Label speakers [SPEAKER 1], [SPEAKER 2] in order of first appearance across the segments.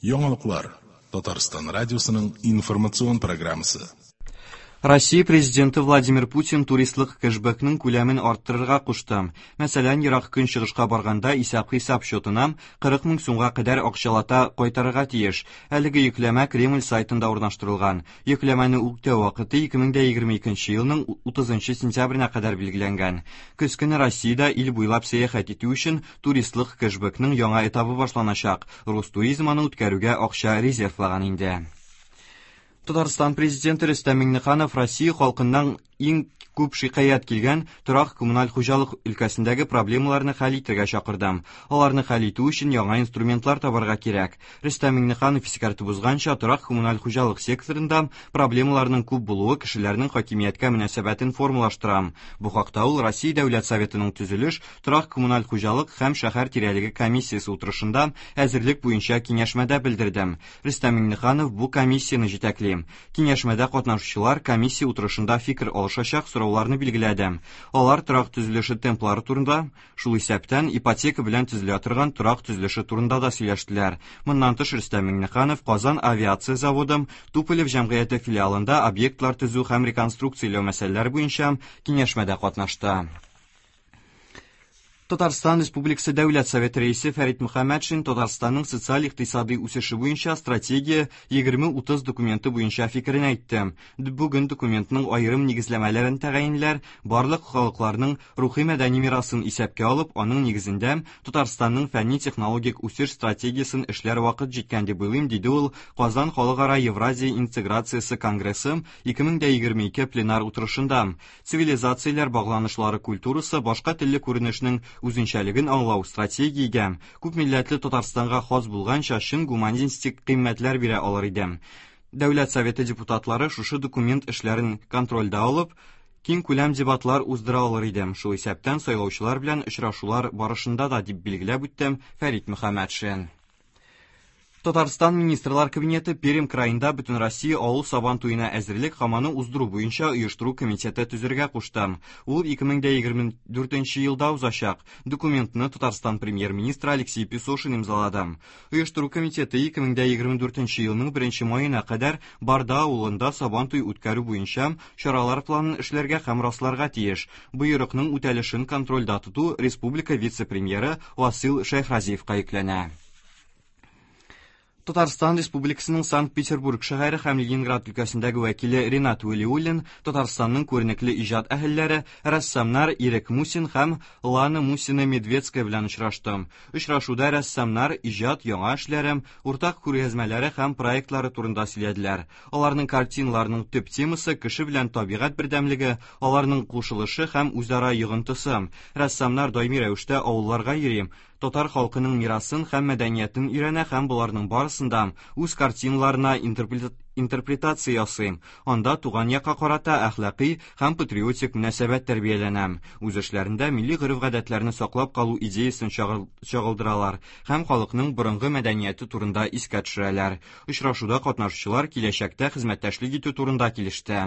[SPEAKER 1] Яңалыклар. Татарстан радиосының информацион программасы.
[SPEAKER 2] Россия Президенты Владимир Путин туристлык кэшбэкның күләмен арттырырга кушты. Мәсәлән, Ерак Көнчыгышка барганда исәп-хисап счетына 40 мең сумга кадәр акчалата кайтарырга тиеш. Әлеге йөкләмә Кремль сайтында урнаштырылган. Йөкләмәне үтәү вакыты 2022 елның 30 сентябренә кадәр билгеләнгән. Көз көне Россиядә ил буйлап сәяхәт итү өчен туристлык кэшбэкның яңа этабы башланачак. Ростуризм аны үткәрүгә акча резервлаган инде. Татарстан Президенты Рөстәм Миңнеханов Россия халкыннан иң күп шикаять килгән торак-коммуналь хуҗалык өлкәсендәге проблемаларны хәл итәргә чакырды. Аларны хәл итү өчен яңа инструментлар табарга кирәк. Рөстәм Миңнеханов искәртеп узганча, торак-коммуналь хуҗалык секторында проблемаларның күп булуы кешеләрнең хакимияткә мөнәсәбәтен формалаштыра. Бу хакта ул Россия Дәүләт Советының төзелеш, торак-коммуналь хуҗалык һәм шәһәр тирәлеге комиссиясе утырышында әзерлек буенча киңәшмәдә белдерде. Рөстәм Миңнеханов бу комиссияне җитәкли. Киңәшмәдә катнашучылар комиссия утырышында фикер алышачак сорауларны билгеләде. Алар торак төзелеше темплары турында, шул исәптән ипотека белән төзелә торган торак төзелеше турында да сөйләштеләр. Моннан тыш Рөстәм Миңнеханов Казан авиация заводы Туполев җәмгыяте филиалында объектлар төзү һәм реконструкцияләү мәсьәләләре буенча киңәшмәдә катнашты. Татарстан Республикасы Дәүләт Советы рәисе Фәрит Мөхәммәтшин Татарстанның социаль-икътисадый үсеше буенча стратегия 2030 документы буенча фикерен әйтте. Бүген документның аерым нигезләмәләрен тәгаенләр, барлык халыкларның рухи-мәдәни мирасын исәпкә алып, аның нигезендә Татарстанның фәнни-технологик үсеш стратегиясен эшләр вакыт җиткән дип уйлыйм, диде ул Казан халыкара Евразия интеграциясе конгрессы 2022 пленар утырышында. Цивилизацияләр багланышлары культурасы башка телле күренешнең үзенчәлеген аңлау стратегиягә, күпмилләтле Татарстанга хас булганча чын гуманистик кыйммәтләр бирә алыр иде. Дәүләт Советы депутатлары шушы документ эшләрен контрольдә алып, киңкүләм дебатлар уздыра алыр иде, шул исәптән сайлаучылар белән очрашулар барышында да, дип билгеләп үтте Фәрит Мөхәммәтшин. Татарстан Министрлар Кабинеты Пермь краенда Бөтенроссия авыл сабан туена әзерлек һәм аны уздыру буенча оештыру комитеты төзергә кушты. Ул 2024 елда узачак. Документны Татарстан премьер-министры Алексей Песошин имзалады. Оештыру комитеты 2024 елның 1 маена кадәр Барда авылында сабан туй үткәрү буенча чаралар планын эшләргә һәм расларга тиеш. Боерыкның үтәлешен контрольдә тоту республика вице-премьеры Васил Шәйхразиевка йөкләнә. Татарстан Республикасының Санкт-Петербург шәһәре һәм Ленинград өлкәсендәге вәкиле Ренат Вәлиуллин Татарстанның күренекле иҗат әһелләре, рәссамнар Ирек Мусин һәм Лана Мусина Медведская белән очрашты. Очрашуда рәссамнар иҗат яңа эшләре, уртак күргәзмәләре һәм проектлары турында сөйләделәр. Аларның картиналарының төп темасы кеше белән табигать бердәмлеге, аларның кушылышы һәм үзара йогынтысы. Рәссамнар даими рәвештә авылларга йөри, татар халкының мирасын һәм мәдәниятен өйрәнә һәм боларның барысын да үз картиналарына интерпретация ясый. Анда туган якка карата әхлакый һәм патриотик мөнәсәбәт тәрбияләнә. Үз эшләрендә милли гореф-гадәтләрне саклап калу идеясен чагылдыралар һәм халыкның борынгы мәдәнияте турында искә төшерәләр. Очрашуда катнашучылар киләчәктә хезмәттәшлек итү турында килеште.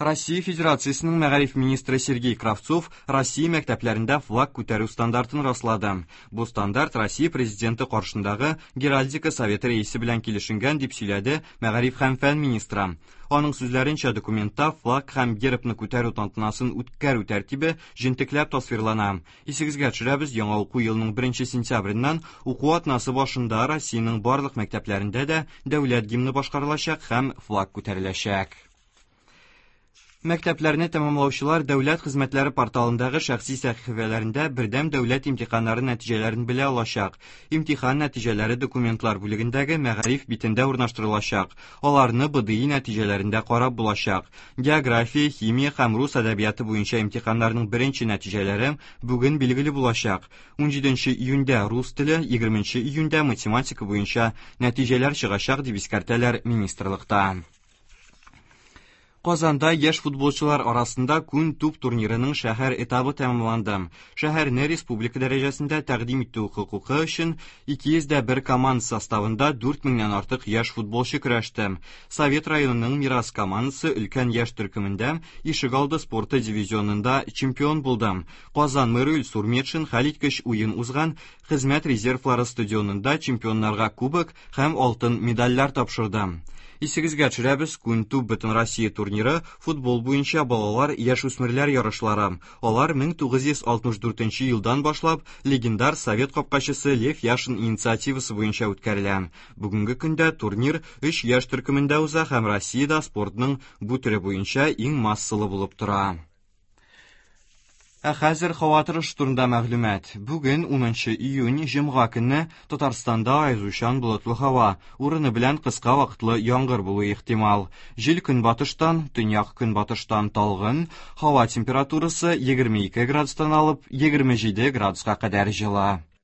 [SPEAKER 2] Россия Федерациясенең мәгариф министры Сергей Кравцов Россия мәктәпләрендә флаг күтәрү стандартын раслады. Бу стандарт Россия президенты каршындагы Геральдика советы рәисе белән килешенгән, дип сөйләде мәгариф һәм фән министры. Аның сүзләренчә, документта флаг һәм гербны күтәрү тантанасын үткәрү тәртибе җентекләп тасвирлана. Исегезгә төшерәбез, яңа уку елының 1 сентябреннән уку атнасы башында Россиянең барлык мәктәпләрендә дә дәүләт гимны башкарылачак һәм флаг күтәреләчәк. Мәктәпләрне тәмамлаучылар дәүләт хезмәтләре порталындагы шәхси сәхифәләрендә бердәм дәүләт имтиханнары нәтиҗәләрен белә алачак. Имтихан нәтиҗәләре документлар бүлегендәге мәгариф битендә урнаштырылачак. Аларны БДИ нәтиҗәләрендә карап булачак. География, химия һәм рус әдәбияты буенча имтиханнарның беренче нәтиҗәләре бүген билгеле булачак. 17 июньдә рус теле, 20 июньдә математика буенча нәтиҗәләр чыгачак, дип искәртәләр министрлыкта. Казанда яшь футболчылар арасында Күн туп турнирының шәһәр этабы тәмамланды. Шәһәрне республика дәрәҗәсендә тәкъдим итү хокукы өчен 201 команда составында 4 меңнән артык яшь футболчы көрәште. Совет районының Мирас командасы өлкән яшь төркемендә ишегалды спорты дивизионында чемпион булды. Казан мэры Илсур Метшин хәлиткеч уен узган Хезмәт резервлары стадионында чемпионнарга кубок һәм алтын медальләр тапшырды. Исегезгә төшерәбез, Күн туп Бөтенроссия турниры футбол буенча балалар яшүсмерләр ярышлары. Алар 1964 елдан башлап легендар совет капкачысы Лев Яшин инициативасы буенча үткәрелә. Бүгенге көндә турнир өч яшь төркемендә уза һәм Россиядә спортның бу төре буенча иң массалы булып тора. Ә хәзер һава торышы турында мәгълүмат. Бүген 10 июнь, җомга көнне Татарстанда аязучан болытлы һава, урыны белән кыска вакытлы яңгыр булуы ихтимал. Җил көнбатыштан, төньяк-көнбатыштан талгын, һава температурасы 22 градустан алып 27 градуска кадәр җылы.